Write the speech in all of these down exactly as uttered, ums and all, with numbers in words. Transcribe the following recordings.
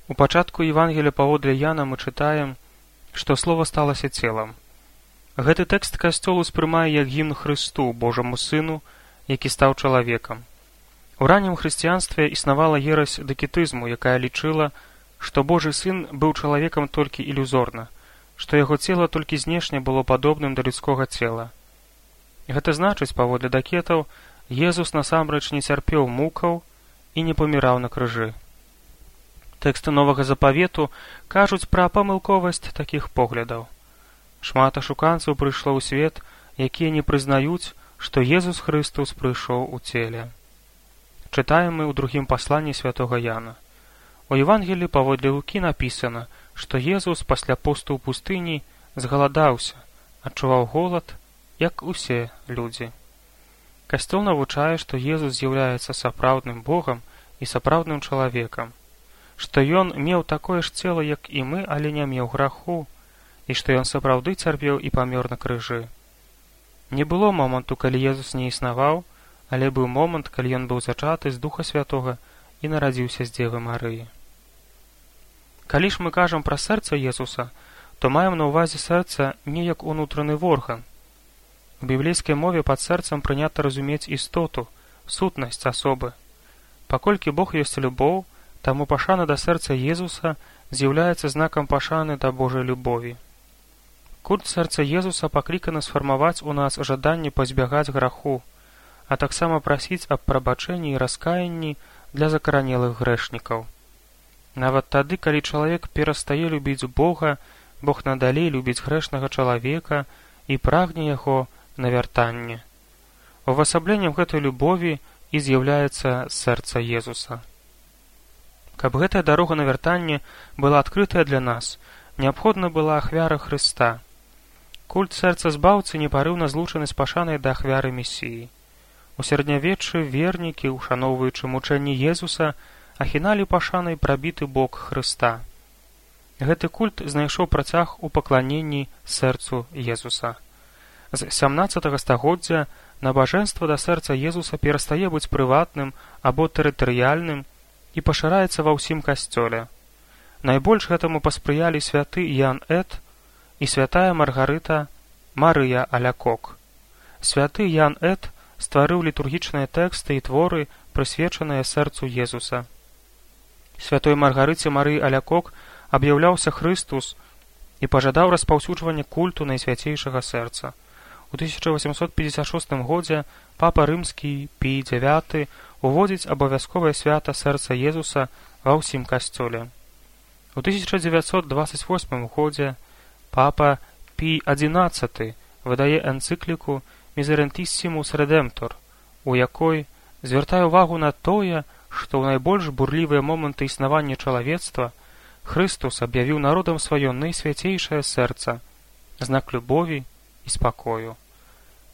У пачатку Евангелія паводле Яна мы чытаем, што слова сталася целам. Гэты тэкст касцёл успрымае як гімн Хрысту, Божаму Сыну, які стаў чалавекам. У раннім хрысціянстве існавала ерась дакетызму, якая лічыла, што Божы Сын быў чалавекам толькі ілюзорна, што яго цела толькі знешне было падобным да людскога цела. Гэта значыць, паводле дакетаў, Езус насамрэч не цярпеў мукаў і не паміраў на крыжы. Тэксты Новага Запавету кажуць пра памылковасць такіх поглядаў. Шмат ашуканцаў прыйшло ў свет, якія не прызнаюць, што Езус Хрыстус прыйшоў у целе. Чытаем мы ў другім пасланні святога Яна. У Евангеліі паводле Лукі напісана, што Езус пасля посту ў пустыні згаладаўся, адчуваў голад, як усе людзі. Касцёл навучае, што Езус з'яўляецца сапраўдным Богам і сапраўдным чалавекам, што ён меў такое ж цела, як і мы, але не меў граху, і што ён сапраўды цярпеў і памёр на крыжы. Не было моманту, калі Езус не існаваў, але быў момант, калі ён быў зачаты з Духа Святога і нарадзіўся з Дзевы Марыі. Калі ж мы кажам пра сэрца Езуса, то маем на ўвазе сэрца не як унутраны орган. У біблейскай мове пад сэрцам прынята разумець істоту, сутнасць асобы. Паколькі Бог ёсць любоў, таму пашана да сэрца Езуса з'яўляецца знакам пашаны да Божай любові. Культ сэрца Езуса пакліканы сфармаваць у нас жаданне пазбягаць граху, а таксама прасіць аб прабачэнні і раскаянні для закаранелых грэшнікаў. Нават тады, калі чалавек перастае любіць Бога, Бог надалей любіць грэшнага чалавека і прагне яго на вяртанне. Увасабленнем гэтай любові і з'яўляецца сэрца Езуса. Каб гэтая дарога на вяртанне была адкрытая для нас, неабходна была ахвяра Хрыста. Культ сэрца збаўцы непарыўна злучаны з пашанай да ахвяры Месіі. У сярэднявеччы вернікі, ушаноўваючы мучэнні Езуса, ахіналі пашанай прабіты бок Хрыста. Гэты культ знайшоў працяг у пакланенні сэрцу Езуса. З сямнаццатага стагоддзя набажэнства да сэрца Езуса перастае быць прыватным або тэрытарыяльным і пашыраецца ва ўсім касцёле. Найбольш гэтаму паспрыялі святы Ян Эт і святая Маргарыта Марыя Алякок. Святы Ян Эт стварыў літургічныя тэксты і творы, прысвечаныя сэрцу Езуса. Святой Маргарыце Марыі Алякок аб'яўляўся Хрыстус і пажадаў распаўсюджвання культу найсвяцейшага сэрца. У тысяча восемьсот пятьдесят шостым годзе папа рымскі Пій дзявяты уводзіць абавязковае свята сэрца Езуса ва ўсім касцёле. У тысяча дзевяцьсот двадцать восьмым годзе папа Пій адзінаццаты выдае энцыкліку «Miserentissimus Redemptor», у якой звяртае ўвагу на тое, што ў найбольш бурлівыя моманты існавання чалавецтва Хрыстус аб'явіў народам сваё найсвяцейшае сэрца, знак любові і спакою.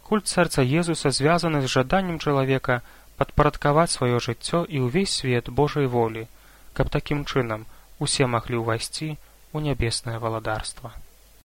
Культ сэрца Езуса звязаны з жаданнем чалавека падпарадкаваць сваё жыццё і ўвесь свет Божай волі, каб такім чынам усе маглі ўвайсці ў нябеснае валадарства.